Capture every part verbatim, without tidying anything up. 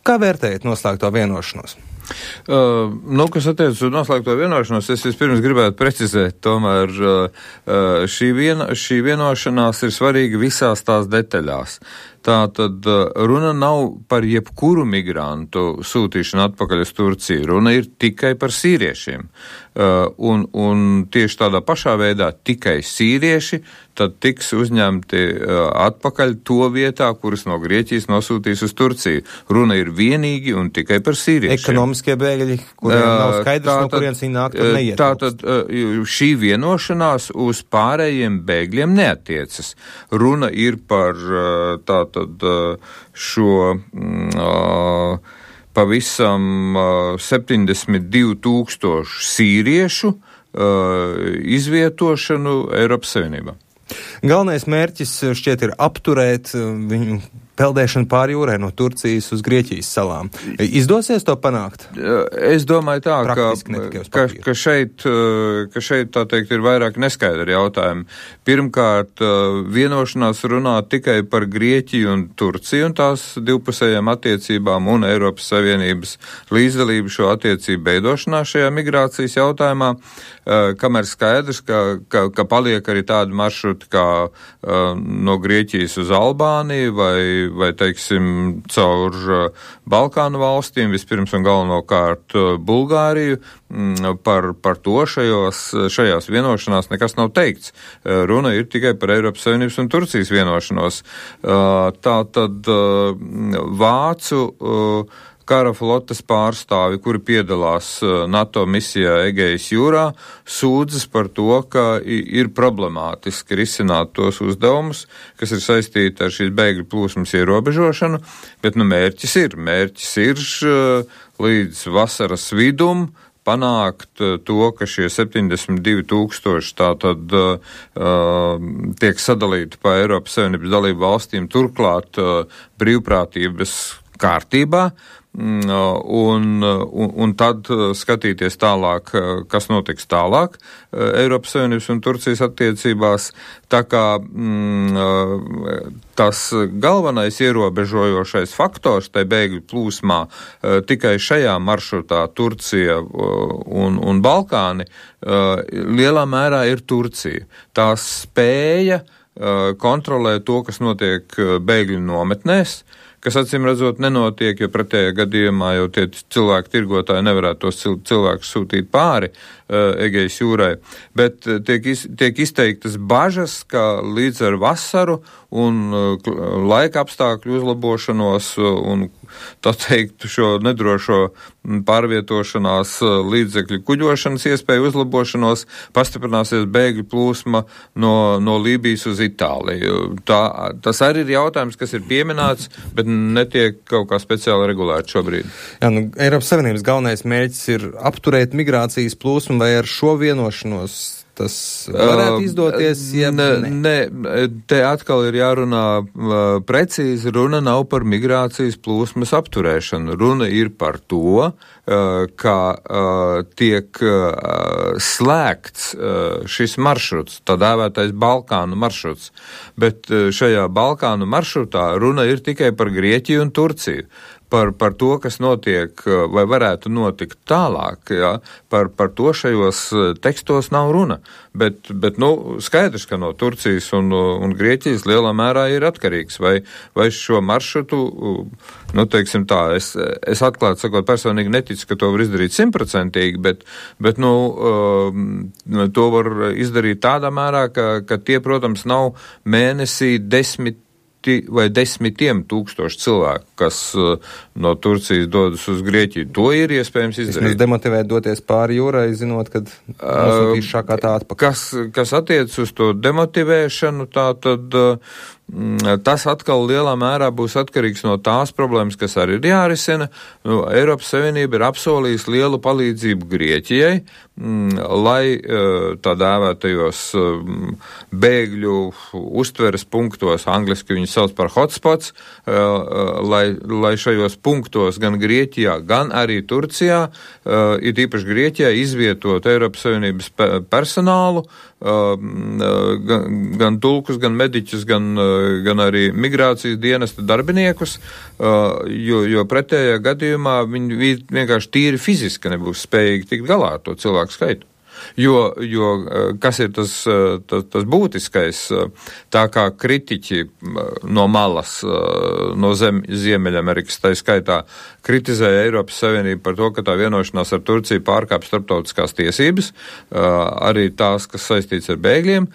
Kā vērtējat noslēgto vienošanos? Uh, nu, kas attiec uz noslēgto vienošanos, es vispirms gribētu precizēt, tomēr uh, šī, vien, šī vienošanās ir svarīga visās tās detaļās. Tātad runa nav par jebkuru migrantu sūtīšanu atpakaļ uz Turciju, runa ir tikai par sīriešiem. Uh, un, un tieši tādā pašā veidā tikai sīrieši tad tiks uzņemti uh, atpakaļ to vietā, kuras no Grieķijas nosūtīs uz Turciju. Runa ir vienīgi un tikai par sīriešiem. Ekonomiskie bēgļi, kuriem uh, nav skaidrs, tātad, no kurienes viņi nāk, tad neiet. Tātad uh, šī vienošanās uz pārējiem bēgļiem neatiecas. Runa ir par uh, tātad Tad šo uh, pavisam uh, septiņdesmit divu tūkstošu sīriešu uh, izvietošanu Eiropas Savienībā. Galvenais mērķis šķiet ir apturēt viņu peldēšanu pāri jūrai no Turcijas uz Grieķijas salām. Izdosies to panākt? Es domāju tā, ka, ka, ka, šeit, ka šeit, tā teikt, ir vairāk neskaidri jautājumi. Pirmkārt, vienošanās runā tikai par Grieķiju un Turciju un tās divpusējām attiecībām un Eiropas Savienības līdzdalību šo attiecību veidošanā šajā migrācijas jautājumā, kamēr skaidrs, ka, ka, ka paliek arī tādi maršruti kā no Grieķijas uz Albāniju vai vai, teiksim, caur Balkānu valstīm, vispirms un galvenokārt Bulgāriju, par, par to šajos, šajās vienošanās nekas nav teikts. Runa ir tikai par Eiropas Savienības un Turcijas vienošanos. Tā tad Vācu kara flotes pārstāvi, kuri piedalās NATO misijā Egejas jūrā, sūdzas par to, ka ir problemātiski risināt tos uzdevumus, kas ir saistīti ar šīs bēgļu plūsmas ierobežošanu, bet nu mērķis ir. Mērķis ir līdz vasaras vidum panākt to, ka šie septiņdesmit divi tūkstoši tātad uh, tiek sadalīti pa Eiropas Savienības dalību valstīm, turklāt uh, brīvprātības kārtībā, Un, un, un tad skatīties tālāk, kas notiks tālāk Eiropas Savienības un Turcijas attiecībās. Tā kā mm, tas galvenais ierobežojošais faktors tai bēgļu plūsmā tikai šajā maršrutā Turcija un, un Balkāni lielā mērā ir Turcija. Tā spēja kontrolēt to, kas notiek bēgļu nometnēs, kas acīm redzot nenotiek, jo pretējā gadījumā jau tie cilvēki tirgotāji nevarētu tos cilvēkus sūtīt pāri uh, Egejas jūrai. Bet uh, tiek, iz, tiek izteiktas bažas, ka līdz ar vasaru un uh, laika apstākļu uzlabošanos uh, un, tā teikt, šo nedrošo pārvietošanās uh, līdzekļu kuģošanas iespēju uzlabošanos pastiprināsies bēgļu plūsma no, no Lībijas uz Itāliju. Tā, tas arī ir jautājums, kas ir pieminēts, bet netiek kaut kā speciāli regulēti šobrīd. Jā, nu, Eiropas Savienības galvenais mērķis ir apturēt migrācijas plūsmu, vai ar šo vienošanos tas varētu izdoties? Ja ne, ne, te atkal ir jārunā uh, precīzi, runa nav par migrācijas plūsmas apturēšanu. Runa ir par to, uh, ka uh, tiek uh, slēgts uh, šis maršruts, tā dēvētais Balkānu maršruts, bet uh, šajā Balkānu maršrutā runa ir tikai par Grieķiju un Turciju. Par, par to, kas notiek vai varētu notikt tālāk, ja, par, par to šajos tekstos nav runa. Bet, bet nu, skaidrs, ka no Turcijas un, un Grieķijas lielā mērā ir atkarīgs, vai, vai šo maršrutu, nu, teiksim tā, es, es atklāt sakot, personīgi neticu, ka to var izdarīt simtprocentīgi, bet, bet nu, to var izdarīt tādā mērā, ka, ka tie, protams, nav mēnesī desmit vai desmitiem tūkstoši cilvēku, kas uh, no Turcijas dodas uz Grieķiju. To ir iespējams izdarīt. Jūs demotivēt doties pāri jūrai, zinot, kad nosūtīs šā kā tā atpakaļ. Kas, kas attiec uz to demotivēšanu, tā tad uh, tas atkal lielā mērā būs atkarīgs no tās problēmas, kas arī ir jārisina. Nu, Eiropas Savienība ir apsolījusi lielu palīdzību Grieķijai, mm, lai tā dēvētajos bēgļu uztveres punktos, angliski viņi sauc par hotspots, lai, lai šajos punktos gan Grieķijā, gan arī Turcijā, ir īpaši Grieķijā izvietot Eiropas Savienības personālu, gan, gan tulkus, gan mediķus, gan, gan arī migrācijas dienesta darbiniekus, jo, jo pretējā gadījumā viņi vienkārši tīri fiziski nebūs spējīgi tikt galā ar to cilvēku skaitu. Jo, jo kas ir tas, tas, tas būtiskais, tā kā kritiķi no malas, no zem, Ziemeļamerikas tā skaitā, kritizēja Eiropas Savienību par to, ka tā vienošanās ar Turciju pārkāp starptautiskās tiesības, arī tās, kas saistīts ar bēgļiem,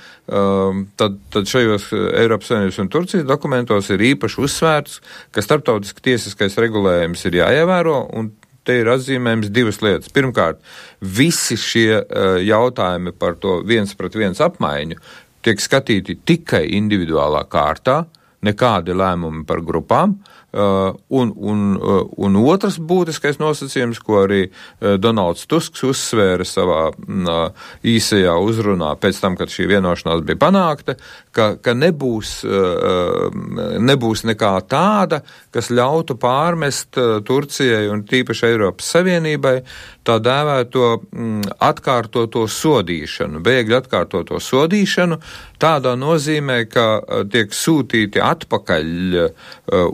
tad, tad šajos Eiropas Savienības un Turcijas dokumentos ir īpaši uzsvērts, ka starptautiski tiesiskais regulējums ir jāievēro, un te ir atzīmējums divas lietas. Pirmkārt, visi šie uh, jautājumi par to viens pret viens apmaiņu tiek skatīti tikai individuālā kārtā, nekādi lēmumi par grupām, uh, un, un, uh, un otrs būtiskais nosacījums, ko arī uh, Donalds Tusks uzsvēra savā uh, īsajā uzrunā pēc tam, kad šī vienošanās bija panākta, ka, ka nebūs, uh, nebūs nekā tāda, kas ļautu pārmest uh, Turcijai un tīpaši Eiropas Savienībai tā dēvēto mm, atkārtoto sodīšanu, bēgļu atkārtoto sodīšanu, tādā nozīmē, ka uh, tiek sūtīti atpakaļ uh,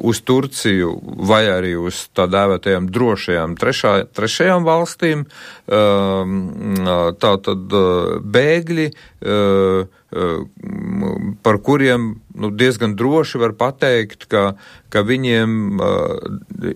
uz Turciju vai arī uz tā dēvētajām drošajām trešā, trešajām valstīm, uh, tā tad uh, bēgļi, uh, par kuriem nu, diezgan droši var pateikt, ka, ka viņiem uh,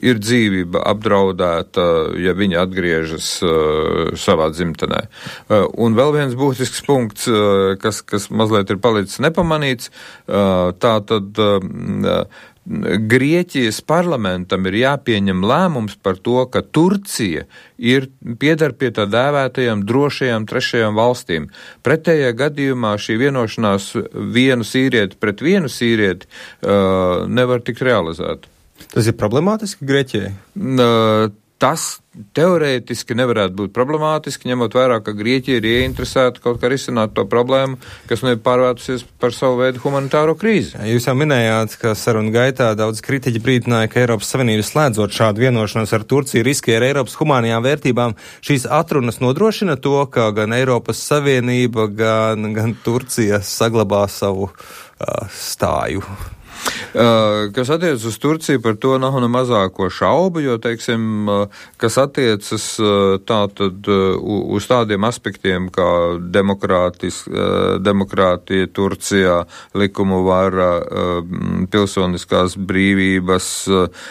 ir dzīvība apdraudēta, ja viņi atgriežas uh, savā dzimtenē. Uh, un vēl viens būtisks punkts, uh, kas, kas mazliet ir palicis nepamanīts, uh, tā tad uh, Grieķijas parlamentam ir jāpieņem lēmums par to, ka Turcija ir piedar pie tā dēvētajām drošajām trešajām valstīm. Pretējā gadījumā šī vienošanās vienu sīrieti pret vienu sīrieti uh, nevar tikt realizēta. Tas ir problemātiski Grieķijai? Uh, tas teorētiski nevarētu būt problemātiski, ņemot vērā, ka Grieķija ir ieinteresēta kaut kā risināt to problēmu, kas nu ir pārvērtusies par savu veidu humanitāro krīzi. Jūs jau minējāt, ka sarunu gaitā daudz kritiķi brīdināja, ka Eiropas Savienība slēdzot šādu vienošanos ar Turciju riskē ar Eiropas humānajām vērtībām. Šīs atrunas nodrošina to, ka gan Eiropas Savienība, gan, gan Turcija saglabā savu uh, stāju. Uh, kas attiecas uz Turciju, par to nav ne mazāko šaubu, jo, teiksim, uh, kas attiecas uh, tātad uh, uz tādiem aspektiem kā demokrātis, uh, demokrātija Turcijā, likumu vara, uh, pilsoniskās brīvības, uh,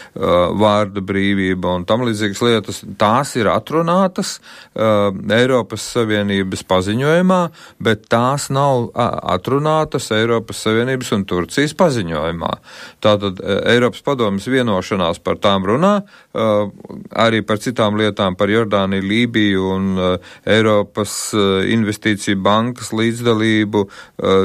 vārda brīvība un tam līdzīgas lietas, tās ir atrunātas uh, Eiropas Savienības paziņojumā, bet tās nav uh, atrunātas Eiropas Savienības un Turcijas paziņojumā. Tātad Eiropas padomes vienošanās par tām runā, arī par citām lietām, par Jordāniju, Lībiju un Eiropas investīciju bankas līdzdalību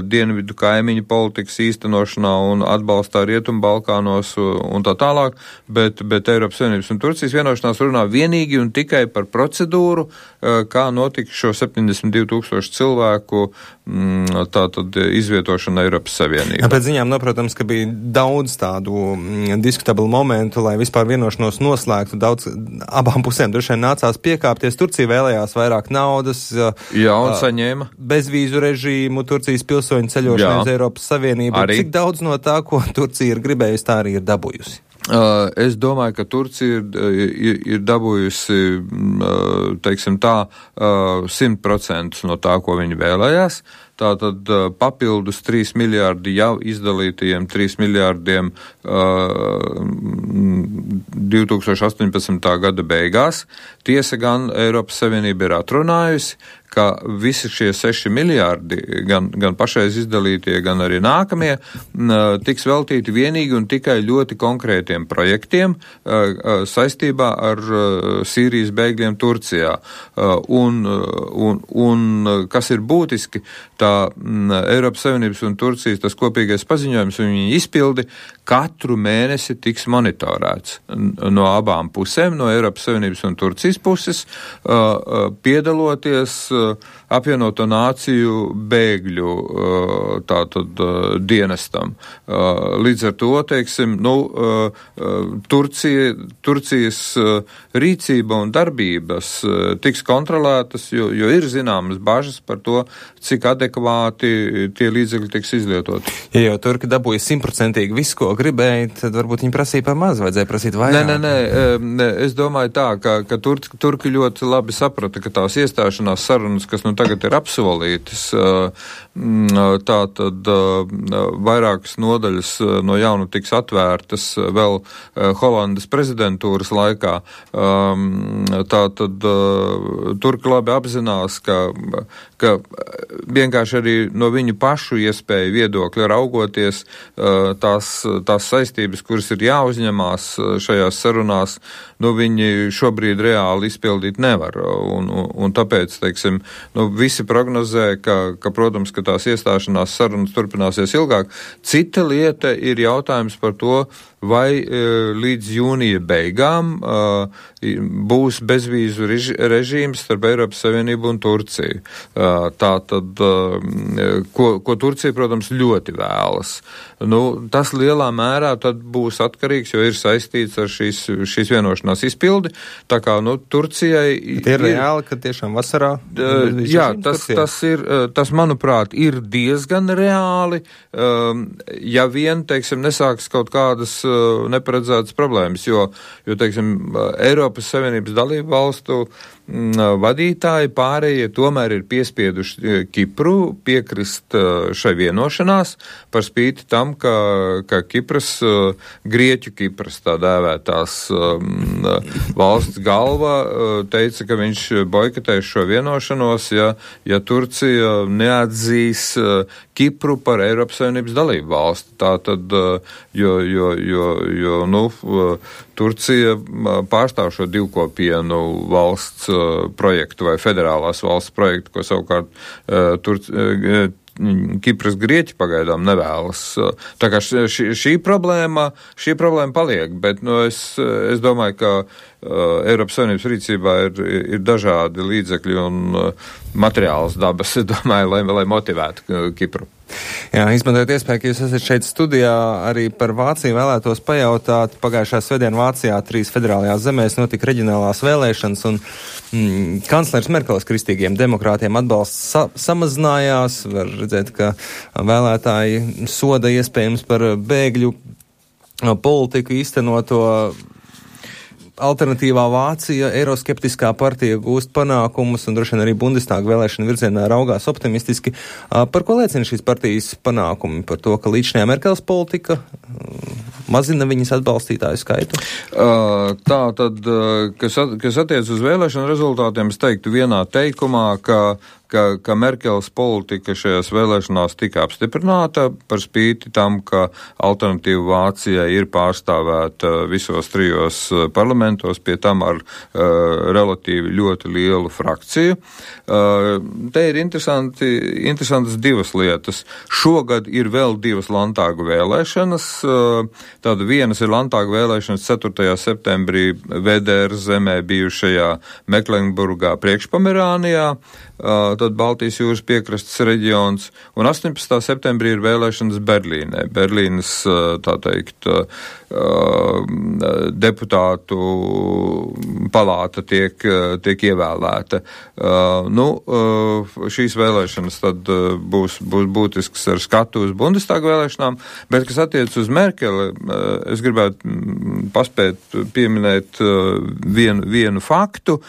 dienvidu kaimiņu politikas īstenošanā un atbalstā Rietumu Balkānos un tā tālāk, bet, bet Eiropas Savienības un Turcijas vienošanās runā vienīgi un tikai par procedūru, kā notika šo septiņdesmit divu tūkstošu cilvēku tātad izvietošana Eiropas Savienībā. Pēc ziņām, no, protams, ka bija daudz tādu mm, diskutablu momentu, lai vispār vienošanos noslēgtu. Daudz abām pusēm droši vien nācās piekāpties. Turcija vēlējās vairāk naudas. Jā, un saņēma. Bezvīzu režīmu, Turcijas pilsoņu ceļošanu uz Eiropas Savienību. Arī. Cik daudz no tā, ko Turcija ir gribējusi, tā arī ir dabūjusi? Uh, es domāju, ka Turcija ir, ir, ir dabūjusi, uh, teiksim tā, simt procentus no tā, ko viņi vēlējās. Tātad uh, papildus trīs miljārdi jau izdalītajiem trīs miljārdiem uh, divi tūkstoši astoņpadsmitā gada beigās. Tiesa gan Eiropas Savienība ir atrunājusi, ka visi šie seši miljārdi, gan, gan pašreiz izdalītie, gan arī nākamie, tiks veltīti vienīgi un tikai ļoti konkrētiem projektiem saistībā ar Sīrijas bēgļiem Turcijā. Un, un, un kas ir būtiski, tā Eiropas Savienības un Turcijas tas kopīgais paziņojums un viņa izpildi katru mēnesi tiks monitorēts no abām pusēm, no Eiropas Savienības un Turcijas puses, piedaloties apvienoto nāciju bēgļu tātad dienestam. Līdz ar to, teiksim, nu, Turcija, Turcijas rīcība un darbības tiks kontrolētas, jo, jo ir zināmas bažas par to, cik adekvāti adekvāti tie līdzekļi tiks izlietoti. Ja jau turki dabūja simtprocentīgi visu, ko gribēja, tad varbūt viņi prasīja par maz, vajadzēja prasīt vairāk. Nē, nē, nē, es domāju tā, ka, ka turki, turki ļoti labi saprata, ka tās iestāšanās sarunas, kas nu tagad ir apsolītas, tā tad vairākas nodaļas no jauna tiks atvērtas vēl Holandas prezidentūras laikā. Tā tad turki labi apzinās, ka, ka vienkārši arī no viņu pašu iespēju viedokļa raugoties tās, tās saistības, kuras ir jāuzņemās šajās sarunās, nu viņi šobrīd reāli izpildīt nevar. Un, un, un tāpēc, teiksim, nu visi prognozē, ka, ka, protams, ka tās iestāšanās sarunas turpināsies ilgāk. Cita lieta ir jautājums par to, vai e, līdz jūnija beigām e, būs bezvīzu reži, režīms starp Eiropas Savienību un Turciju. E, tā tad, e, ko, ko Turcija, protams, ļoti vēlas. Nu, tas lielā mērā tad būs atkarīgs, jo ir saistīts ar šīs, šīs vienošanās izpildi. Tā kā, nu, Turcijai... Bet ir reāli, ka tiešām vasarā... Uh, jā, tas, tas ir, tas, manuprāt, ir diezgan reāli, um, ja vien, teiksim, nesāks kaut kādas uh, neparedzētas problēmas, jo, jo, teiksim, Eiropas Savienības dalību valstu vadītāji pārējie tomēr ir piespieduši Kipru piekrist šai vienošanās par spīti tam, ka, ka Kipras, Grieķu Kipras tā dēvētās valsts galva teica, ka viņš boikotēs šo vienošanos, ja, ja Turcija neatzīs Kipru par Eiropas Savienības dalību valsti. Tā tad, jo, jo, jo, jo nu, Turcija pārstāv šo divkopienu valsts projektu vai federālās valsts projektu, ko savukārt uh, Turc, uh, Kipras Grieķi pagaidām nevēlas. Tā kā šī, šī problēma, šī problēma paliek, bet nu, es, es domāju, ka uh, Eiropas Savienības rīcībā ir, ir dažādi līdzekļi un uh, materiāls dabas, es domāju, lai, lai motivētu uh, Kipru. Jā, izmantojot iespēju, ka jūs esat šeit studijā, arī par Vāciju vēlētos pajautāt. Pagājušā svētdiena Vācijā trīs federālajās zemēs notika reģionālās vēlēšanas, un mm, kanclers Merkeles kristīgiem demokrātiem atbalsts sa samazinājās. Var redzēt, ka vēlētāji soda iespējams par bēgļu politiku īstenoto. Alternatīvā Vācija, eiroskeptiskā partija gūst panākumus un droši vien arī Bundestāga vēlēšana virzienā raugās optimistiski. Par ko liecina šīs partijas panākumi? Par to, ka līdzinājā Merkeles politika mazina viņas atbalstītāju skaitu? Tā tad, kas, at, kas attiec uz vēlēšanu rezultātiem, es teiktu vienā teikumā, ka Ka, ka Merkeles politika šajās vēlēšanās tika apstiprināta par spīti tam, ka alternatīva Vācijai ir pārstāvēta visos trijos parlamentos, pie tam ar uh, relatīvi ļoti lielu frakciju. Uh, te ir interesanti, interesantas divas lietas. Šogad ir vēl divas Landtāgu vēlēšanas. Uh, tāda vienas ir Landtāgu vēlēšanas ceturtajā septembrī V D R zemē bijušajā Meklenburgā priekšpomerānijā. Uh, tad Baltijas jūras piekrastes reģions, un astoņpadsmitā septembrī ir vēlēšanas Berlīnē. Berlīnas, tā teikt, deputātu palāta tiek, tiek ievēlēta. Nu, šīs vēlēšanas tad būs, būs būtisks ar skatu uz Bundestāga vēlēšanām, bet, kas attiec uz Merkeli, es gribētu paspēt pieminēt vienu, vienu faktu.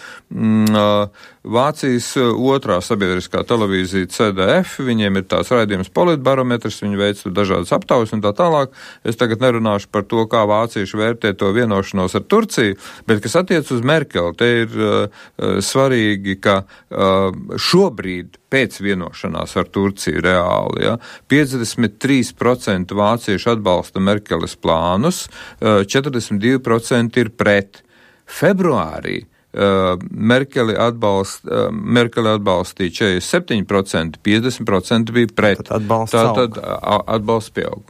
Vācijas otrā sabiedriskā televīzija C D F, viņiem ir tāds raidījums politbarometrs, viņi veic dažādas aptaujas un tā tālāk. Es tagad nerunāšu par to, kā vācieši vērtē to vienošanos ar Turciju, bet kas attiec uz Merkeli, te ir uh, svarīgi, ka uh, šobrīd pēc vienošanās ar Turciju reāli, ja, piecdesmit trīs procenti vācieši atbalsta Merkeles plānus, uh, četrdesmit divi procenti ir pret. Februārī Uh, Merkeli, atbalst, uh, Merkeli atbalstīja četrdesmit septiņi procenti, piecdesmit procenti bija pret. Tad atbalsts Tā tad atbalsts pieaug.